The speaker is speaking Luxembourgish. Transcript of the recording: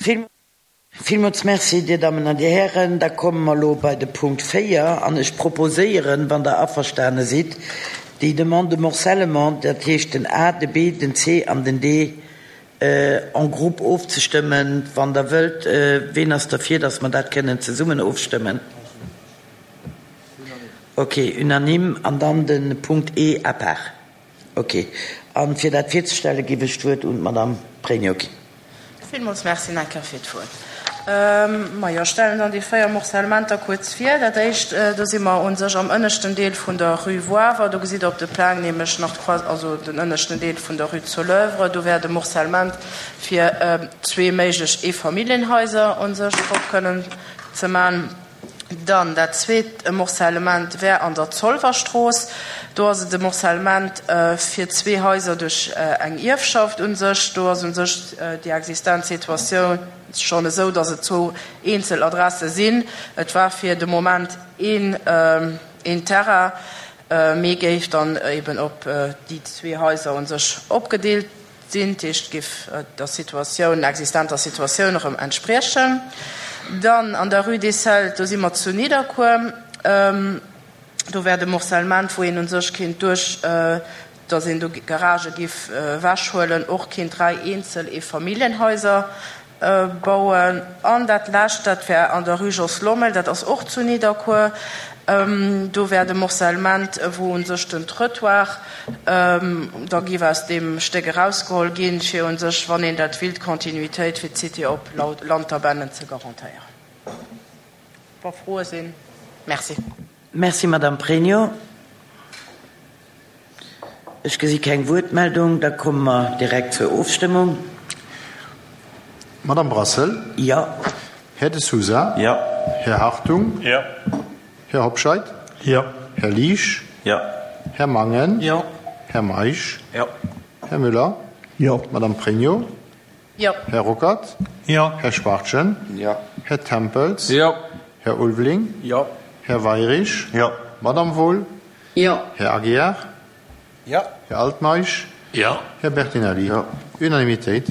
Villmools Merci, Dir Dammen an Dir Hären. Da komme mer elo bei de Punkt 4 an ech proposéieren, wann Der averstane sidd, déi Demande de morcellement, dat heescht den A, de B, den C an den D en groupe ofzestëmmen, wann Der wëllt. Ween ass derfir, dass mer dat kënnen zesummen ofstëmmen? Okay, unanime. An dann de Punkt E à part. Ok. A fir dat virzestellen, géif ech d'Wuert un d'Madame Pregno ginn. Villmools Merci nach eng Kéier fir d'Wuert. Majo, ech stellen dann déi 4 Morcellementer kuerz vir. Dat éischt, do si mer u sech am ënneschten Deel vun der Rue Woawer. Do gesitt Der op de Plang nämlech nach d'Croix, also den ënneschten Deel vun der Rue Soleuvre. Do wär de Morcellement fir zwee méiglech Eefamilljenhaiser u sech drop kënnen ze man. Dann dat zweet Morcellement wär an der Zolwerstrooss. Do ass et e Morcellement fir zwee Haiser duerch eng Ierfschaft u sech. Do ass u sech déi existent Situatioun schonn esou, datt et zwou eenzel Adresse sinn. Et war fir de Moment een Terrain, mee géif dann eben op déi zwee Haiser u sech opgedeelt Sinn, dat heescht, géif der Situatioun, existenter Situatioun erëm entspriechen. Dann an der Rue des Celtes, do si mer zu Nidderkuer, do wär de Morcellement, wou een u sech kéint duerch, datt een do Garagë géif ewechhuelen, och kéint 3 eenzel Eefamilljenhaiser Bauen. An dat lescht, dat wär an der Rue Jos Lommel, dat ass och zu Nidderkuer. Do wär de Morcellement, wou u sech den Trëttoir da géif aus deem Stéck erausgeholl ginn, fir u sech, wann een dat willt, d'Continuitéit fir d'Cité op Lanterbennen ze garantéieren. Wa Froe sinn. Merci. Merci, Madame Pregno. Ech gesi keng Wuertmeldung. Da komme mer direkt zur Ofstëmmung. Madame Brassel? Jo. Här De Sousa? Jo. Här Hartung? Jo. Här Hobscheit? Jo. Här Liesch? Jo. Här Mangen? Jo. Här Meisch? Jo. Här Müller? Jo. Madame Pregno? Jo. Här Ruckert? Jo. Här Schwachtgen? Jo. Här Tempels? Jo. Här Ulveling? Jo. Här Weirich? Jo. Madame Wohl? Jo. Här Aguiar? Jo. Här Altmeisch? Jo. Här Bertinelli? Jo. Unanimitéit.